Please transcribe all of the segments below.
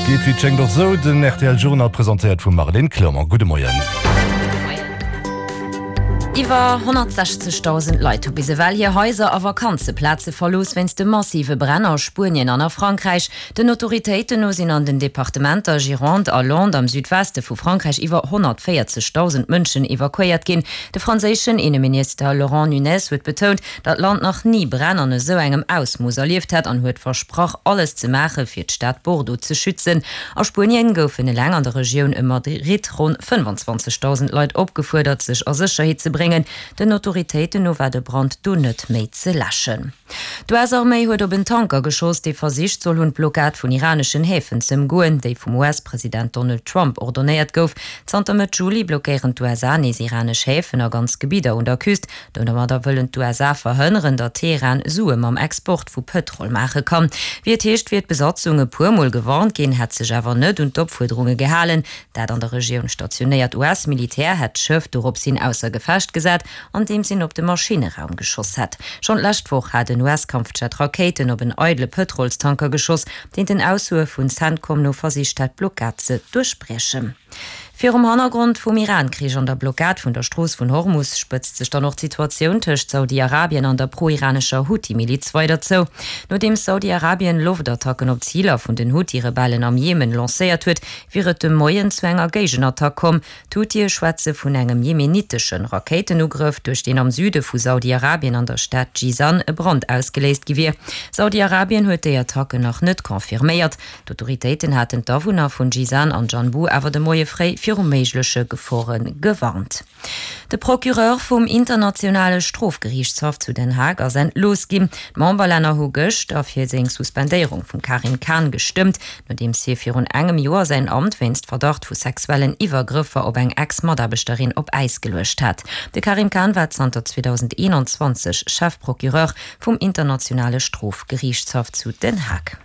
Geet wéi et schéngt och sou. Den rtl Journal presentéiert vum Marlène Clement. Gudde Moien. Iwwer 160.000 Leit hu bis ewell hir Haiser a Vakanzeplaze verlooss wéinst de massive Bränn a Spuenien an a Frankräich. Den Autoritéiten no sinn an den Departementer Gironde a Landes am Südweste vu Frankräich iwwer 140.000 Mënschen evakuéiert ginn. De franséischen Inneminister Laurent Nunez huet betount, datt d'Land nach ni Bränn an esou engem Ausmooss erlieft hätt an huet versprach, alles ze maache fir d'Stad Bordeaux ze schützen. A Spuenien goufen eleng an der Regioun ëm Madrid ronn 25.000 Leit opgefuerdert, sech a Sécherheet ze bréngen. Den Autoritéiten no war de Brand do net méi ze läschen. D'US-Arméi huet op en Tanker geschoss, dee versicht soll hunn, d'Blockad vun iraneschen Häfen ze ëmgoen, déi vum US-President Donald Trump ordonéiert gouf. Zanter Mëtt Juli blockéieren d'USA nees iranesch Häfen a ganz Gebidder un der Küst. Domadder wëllen d'USA verhënneren, datt Teheran Sue mam Export vu Pëtrol maache kann. Wéi et heescht, wier d'Besatzung e puer Mol gewarnt ginn, hätt sech awer net un d'Opfuerderunge gehalen. Dat an der Regioun stationéiert US-Militär hätt d'Schëff dorops hin ausser Gefecht gesat, andeems een op de Maschinneraum geschoss hätt. Schonn d'lescht Woch hat en US-Kampfjet Rakéiten op en eidele Pëtrolstanker geschoss, deen den Aussoe vun Centcom no versicht hätt, d'Blockad ze duerchbriechen. Virum Hannergrond vum Iran-Krich an der Blockad vun der Strooss vun Hormus spëtzt sech dann och d'Situatioun tëscht Saudi-Arabien an der pro-iranescher Huthi-Miliz weider zou. Nodeems Saudi-Arabien Loftattacken op Ziler vun den Huthi-Rebellen am Jemen lancéiert huet, wier et de Moien zu enger Géigenattack komm. D'Huthie schwätze vun engem jemenitesche Rakéitenugrëff, duerch deen am Süde vu Saudi-Arabien an der Stad Jizan e Brand ausgeléist gi wier. Saudi-Arabien huet déi Attacken nach net confirméiert. D'Autoritéiten haten d'Awunner vun Jizan an Janbu awer de Moie fréi viru méigleche Gefore gewarnt. De Procureur vum internationale Strofgeriichtshaff zu Den Haag ass entlooss ginn. D'Memberlänner hu gëschter fir seng Suspendéierung vum Karim Khan gestëmmt, nodeems hie virun engem Joer säin Amt wéinst Verdacht vu sexuellen Iwwergrëffer op eng Ex-Mataarbechterin op Äis geluecht hat. De Karim Khan war zanter 2021 Chefprocureur vum internationale Strofgeriichtshaff zu Den Haag.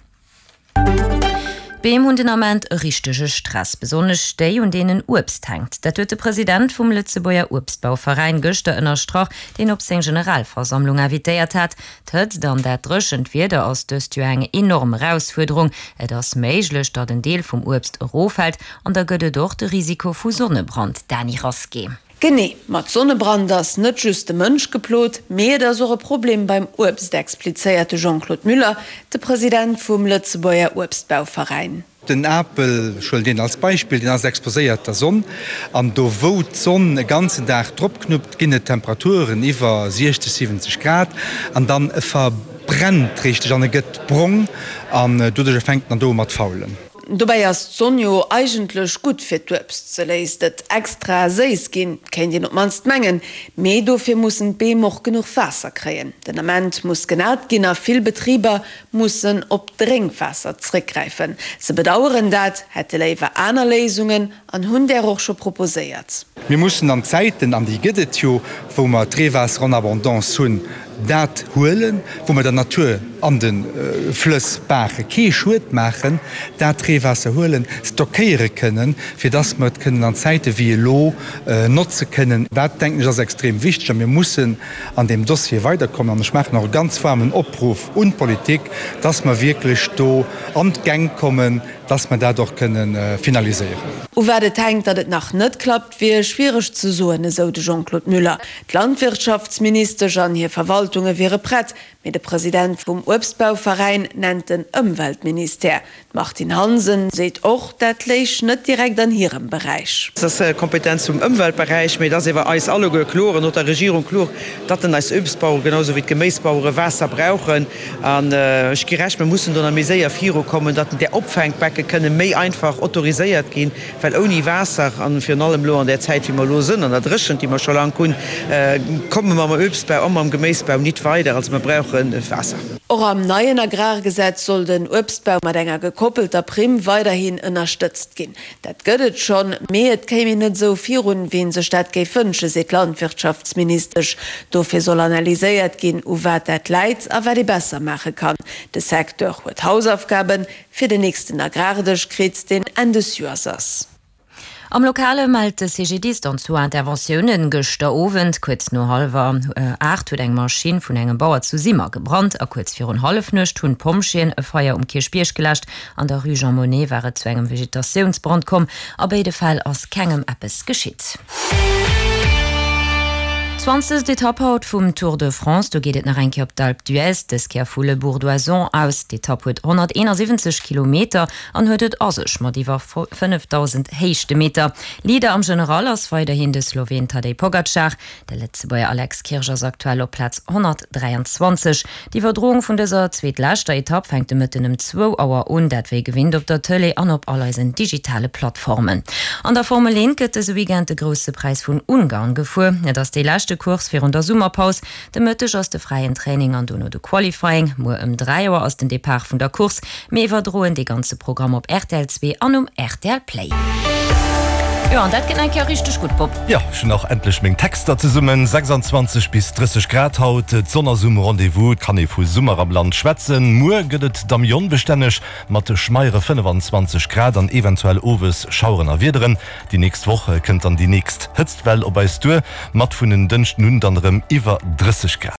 D'Beem hunn den Ament e richtege Stress, besonnesch déi, un deenen Uebst hänkt. Dat huet de President vum Lëtzebuerger Uebstbauveräin gëschter ënnerstrach, deen op seng Generalversammlung invitéiert hat. D'Hëtzt an dat dréchent Wieder ass dëst Joer eng enorm Erausfuerderung. Et ass méiglech, datt en Deel vum Uebst eroffält an da gëtt et och de Risiko vu Sonnebrand. Dany Rasqué. Genee, mat Sonnebrand ass net just de Mënsch geplot, mee et ass och e Problem beim Uebst, explizéiert de Jean-Claude Müller, de President vum Lëtzebuerger Uebstbauveräin. Den Apel, ech huelen deen als Beispill, deen ass exposéiert der Sonn an do wou d'Sonn e ganzen Dag drop knuppt, ginn et Temperaturen iwwer 60, 70 Grad an dann e verbrennt richteg an e gëtt brong an doduercher fänkt en dann do u mat faulen. Dobäi ass d'Sonn jo eigentlech gutt fir d'Uebst, se léisst et extra séiss ginn, kéint een op d'mannst mengen. Mee dofir mussen d'Beem och genuch Waasser kréien. Den Ament muss genat ginn a vill Betriber mussen op Drénkwaasser zréckgräifen. Se bedaueren dat, hätte léiwer aner Léisungen an hunn där och scho proposéiert. Mir mussen an Zäiten, an déi gëtt et jo, wou mer d'Reewaasser en abondance hunn, dat huelen, wou mer der Natur an de Flëss, Baache kee Schued maachen, dat Reewaasser huelen, stockéiere kënnen, fir dass mer et kënnen an Zäite wéi elo notze kënnen. Dat, denken ech, ass extrem wichteg a mir mussen an deem Dossier weiderkommen. An ech maachen och e ganz waarmen Opruff un d'Politik, dass mer wierklech do an d'Gäng kommen, dass mer dat och kënne finaliséieren. U wat et hänkt, datt et nach net klappt, wier schwiereg ze soen, esou de Jean-Claude Müller. D'Landwirtschaftsministesch an hir Verwaltunge wiere prett, mee de President vum Uebstbauveräin nennt den Ëmweltministère. D'Martine Hansen seet och, dat léich net direkt an hirem Beräich. Et ass Kompetenz vum Ëmweltberäich, mee et ass ewer eis alleguer kloer an och der Regierung kloer, datt en eis Uebstbauere genau esou wéi d'Geméisbauere Waasser brauchen. An ech gi Recht, mir mussen do nach méi séier virukommen, datt där Opfänkbecke kënne méi einfach autoriséiert ginn, well ouni Waasser, a virun allem elo an där Zäit wéi mer elo sënn, an der Dréchent, déi mer scho laang hunn, komme mer mam Uebstbau a mam Geméisbau nit weider. Also mir brauche Waasser. Och am neien Agrargesetz soll den Uebstbau mat enger gekoppelter Primm weiderhin ënnerstëtzt ginn. Dat gëtt et schonn, mee et kéim een net esou virun, wéi een sech dat géif wënschen, seet d'Landwirtschaftsministesch. Dofir soll analyséiert ginn, u wat dat läit a wat ee besser maache kann. De Secteur huet Hausaufgaben fir den nächsten Agrardësch kritt, deen Enn des Joers ass. Am Lokale mellt de CGDIS dann zwou Interventiounen. Gëschter Owend kuerz no hallwer 8 huet eng Maschinn vun engem Bauer zu Simmer gebrannt a kuerz virun Hallefnuecht hunn d'Pompjeeën e Feier um Kierchbierg geläscht. An der Rue Jean Monnet war et zu engem Vegetatiounsbrand komm. A béide Fäll ass kengem eppes geschitt. Zwanzegst Etapp haut vum Tour de France. Do geet et nach eng Kéier op d'Alpe d'Huez, dës Kéier vu Le Bourg-d'Oisans aus. D'Etapp huet 171 Kilometer an huet et a sech mat iwwer 5.000 Héichtemeter. Leader am General ass weiderhin de Sloween Tadej Pogacar. De Lëtzebuerger Alex Kirsch ass aktuell op Plaz 123. D'Iwwerdroung vun dëser zweetleschter Etapp fänkt de Mëtten ëm zwou Auer un, dat wéi gewinnt op der Tëlee an op all eisen digitale Plattformen. An der Formel 1 gëtt dëse Weekend de Grousse Präis vun Ungarn gefuer. Et ass déi leschte Course virun der Summerpaus. De Mëtteg ass de fräien Training an dono de Qualifying. Muer ëm 3 Auer ass den Depart vun der Course. Mir iwwerdroen dee ganze Programm op rtl 2 an um rtl Play. Jo, an dat gëtt eng Kéier richteg gutt, Bob. Jo, ech hunn och endlech meng Texter zesummen. 26 bis 30 Grad haut, d'Sonn ass um Rendez-vous, et kann ee vu Summer am Land schwätzen. Muer gëtt et da méi onbestänneg mat schmeiere 25 Grad an eventuell owes Schaueren a Wiederen. Déi nächst Woch kënnt dann déi nächst Hëtztwell op eis duer, mat vun en Dënschden un dann erëm iwwer 30 Grad.